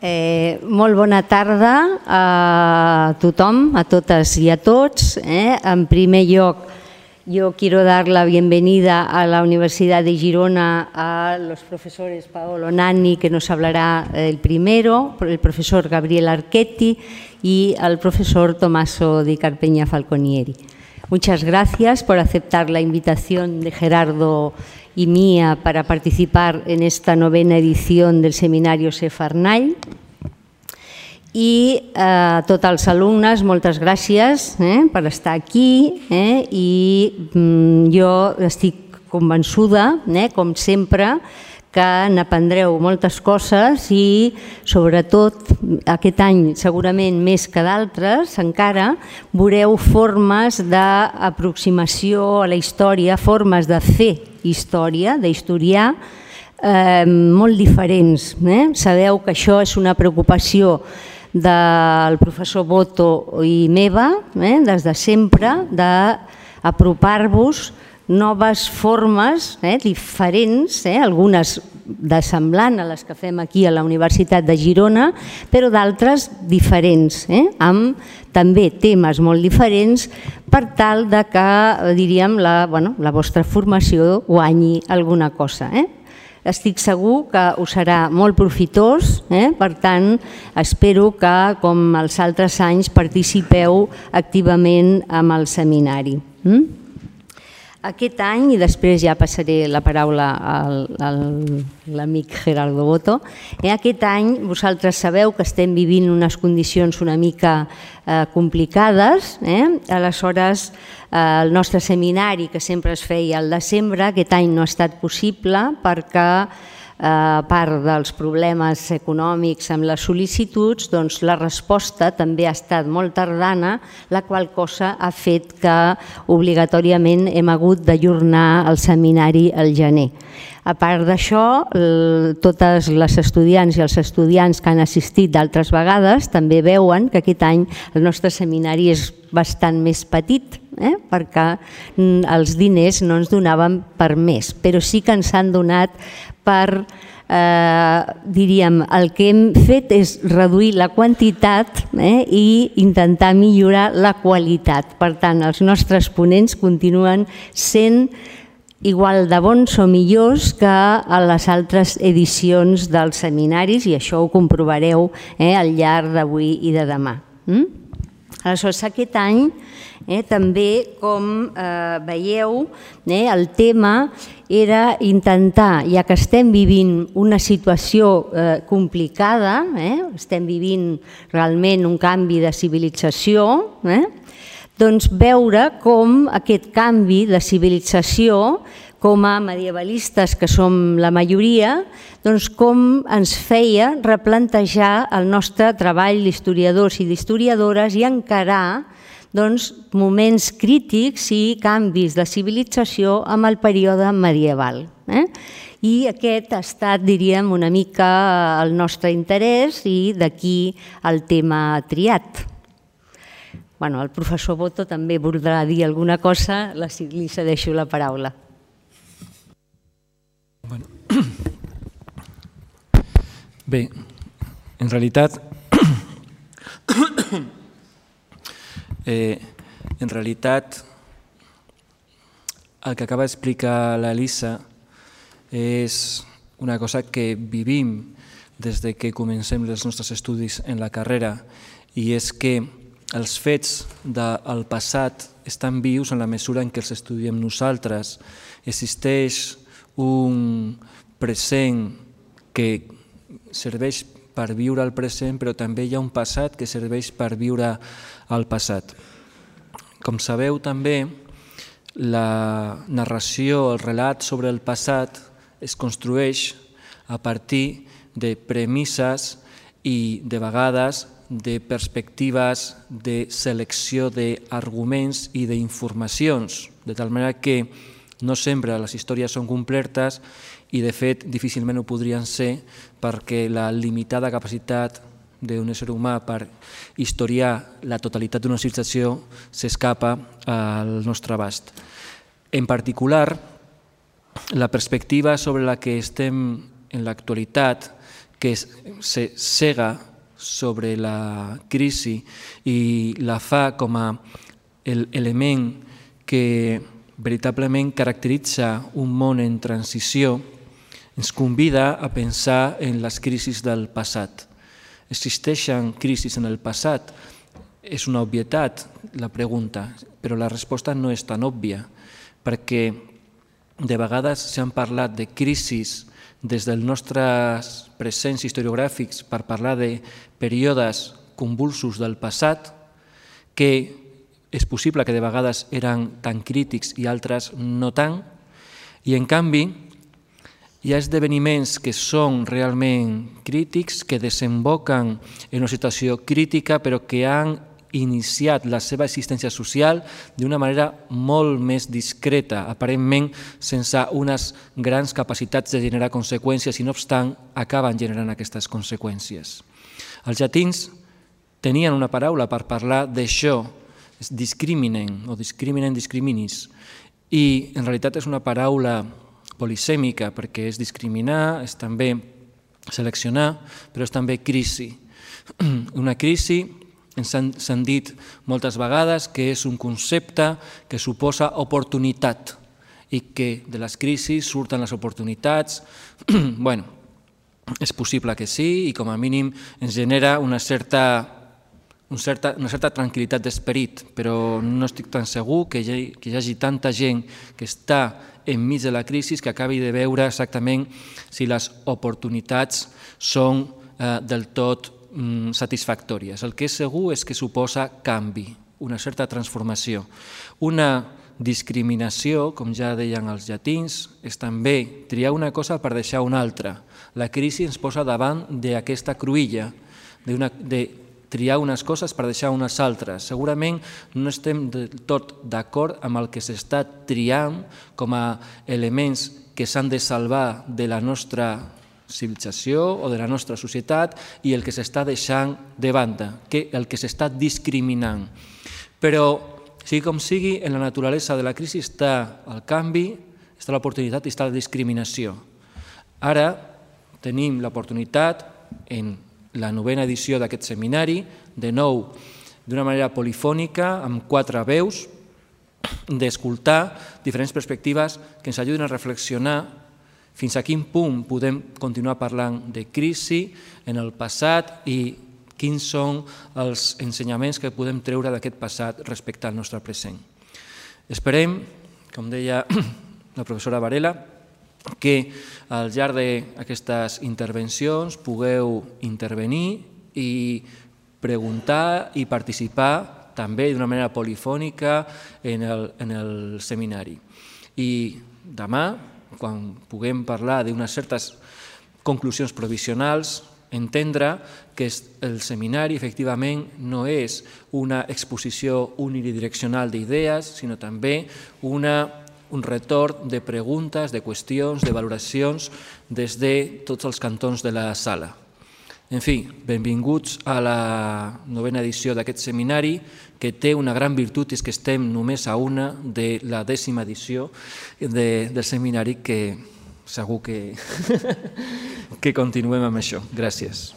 Molt bona tarda a tothom, a totes y a tots. En primer lloc, yo quiero dar la bienvenida a la Universidad de Girona a los profesores Paolo Nanni, que nos hablará el primero, el profesor Gabriel Archetti y al profesor Tommaso Di Carpegna Falconieri. Muchas gracias por aceptar la invitación de Gerardo y mía para participar en esta novena edición del Seminario Sefarnall. I a tots els alumnes, moltes gràcies per estar aquí i jo estic convençuda, com sempre, que n'aprendreu moltes coses i sobretot aquest any segurament més que d'altres encara veureu formes d'aproximació a la història, formes de fer història, d'historiar molt diferents. Sabeu que això és una preocupació del professor Boto i meva, des de sempre, d'apropar-vos noves formes diferents, algunes de semblant a les que fem aquí a la Universitat de Girona, però d'altres diferents, amb també temes molt diferents per tal que, diríem, la vostra formació guanyi alguna cosa. Estic segur que us serà molt profitós, per tant, espero que, com els altres anys, participeu activament en el seminari. Aquest any, i després ja passaré la paraula a l'amic Gerardo Boto, aquest any vosaltres sabeu que estem vivint unes condicions una mica complicades, aleshores el nostre seminari, que sempre es feia al desembre, aquest any no ha estat possible perquè a part dels problemes econòmics amb les sol·licituds, doncs la resposta també ha estat molt tardana, la qual cosa ha fet que obligatòriament hem hagut d'ajornar el seminari al gener. A part d'això, totes les estudiants i els estudiants que han assistit d'altres vegades també veuen que aquest any el nostre seminari és bastant més petit, perquè els diners no ens donaven per més, però sí que ens han donat per, diríem, el que hem fet és reduir la quantitat i intentar millorar la qualitat. Per tant, els nostres ponents continuen sent igual de bons o millors que a les altres edicions dels seminaris i això ho comprovareu al llarg d'avui i de demà. Aleshores, aquest any també, com veieu, el tema era intentar, ja que estem vivint una situació complicada, estem vivint realment un canvi de civilització, doncs veure com aquest canvi de civilització, com a medievalistes que som la majoria, doncs com ens feia replantejar el nostre treball d'historiadors i d'historiadores i encarar moments crítics i canvis de civilització amb el període medieval. I aquest ha estat, diríem, una mica el nostre interès i d'aquí el tema triat. El professor Boto també voldrà dir alguna cosa, li cedeixo la paraula. Bé, en realitat el que acaba d'explicar l'Elisa és una cosa que vivim des que comencem els nostres estudis en la carrera i és que els fets del passat estan vius en la mesura en què els estudiem nosaltres. Existeix un present que serveix per viure el present, però també hi ha un passat que serveix per viure el passat. Com sabeu també, la narració, el relat sobre el passat es construeix a partir de premisses i de vegades de perspectives de selecció d'arguments i d'informacions, de tal manera que no sempre les històries són completes i de fet difícilment ho podrien ser perquè la limitada capacitat d'un ésser humà per historiar la totalitat d'una civilització s'escapa al nostre abast. En particular, la perspectiva sobre la que estem en l'actualitat, que se cega sobre la crisi i la fa com a l'element que veritablement caracteritza un món en transició, ens convida a pensar en les crisis del passat. Existeixen crisis en el passat? És una obvietat la pregunta, però la resposta no és tan òbvia, perquè de vegades s'han parlat de crisis des dels nostres presents historiogràfics per parlar de períodes convulsos del passat, que és possible que de vegades eren tan crítics i altres no tant, i en canvi hi ha esdeveniments que són realment crítics, que desemboquen en una situació crítica, però que han iniciat la seva existència social d'una manera molt més discreta, aparentment sense unes grans capacitats de generar conseqüències i no obstant acaben generant aquestes conseqüències. Els llatins tenien una paraula per parlar d'això, discriminen o discriminen discriminis, i en realitat és una paraula polisèmica perquè és discriminar, és també seleccionar, però és també crisi. Una crisi ens han dit moltes vegades que és un concepte que suposa oportunitat i que de les crisis surten les oportunitats. Bueno, és possible que sí i com a mínim ens genera una certa tranquil·litat d'esperit, però no estic tan segur que hi hagi tanta gent que està enmig de la crisi que acabi de veure exactament si les oportunitats són del tot satisfactòries. El que és segur és que suposa canvi, una certa transformació. Una discriminació, com ja deien els llatins, és també triar una cosa per deixar una altra. La crisi ens posa davant d'aquesta cruïlla, de triar unes coses per deixar unes altres. Segurament no estem del tot d'acord amb el que s'està triant com a elements que s'han de salvar de la nostra civilització o de la nostra societat i el que s'està deixant de banda, el que s'està discriminant. Però, sigui com sigui, en la naturalesa de la crisi està el canvi, està l'oportunitat i està la discriminació. Ara tenim l'oportunitat, en la 9a edició d'aquest seminari, de nou, d'una manera polifònica, amb 4 veus, d'escoltar diferents perspectives que ens ajuden a reflexionar fins a quin punt podem continuar parlant de crisi en el passat i quins són els ensenyaments que podem treure d'aquest passat respecte al nostre present. Esperem, com deia la professora Varela, que al llarg d'aquestes intervencions pugueu intervenir i preguntar i participar també d'una manera polifònica en el seminari. I demà, quan puguem parlar d'unes certes conclusions provisionals, entendre que el seminari efectivament no és una exposició unidireccional d'idees, sinó també un retorn de preguntes, de qüestions, de valoracions des de tots els cantons de la sala. En fi, benvinguts a la 9a edició d'aquest seminari, que té una gran virtut, és que estem només a una de la 10a edició del seminari, que segur que continuem amb això. Gràcies.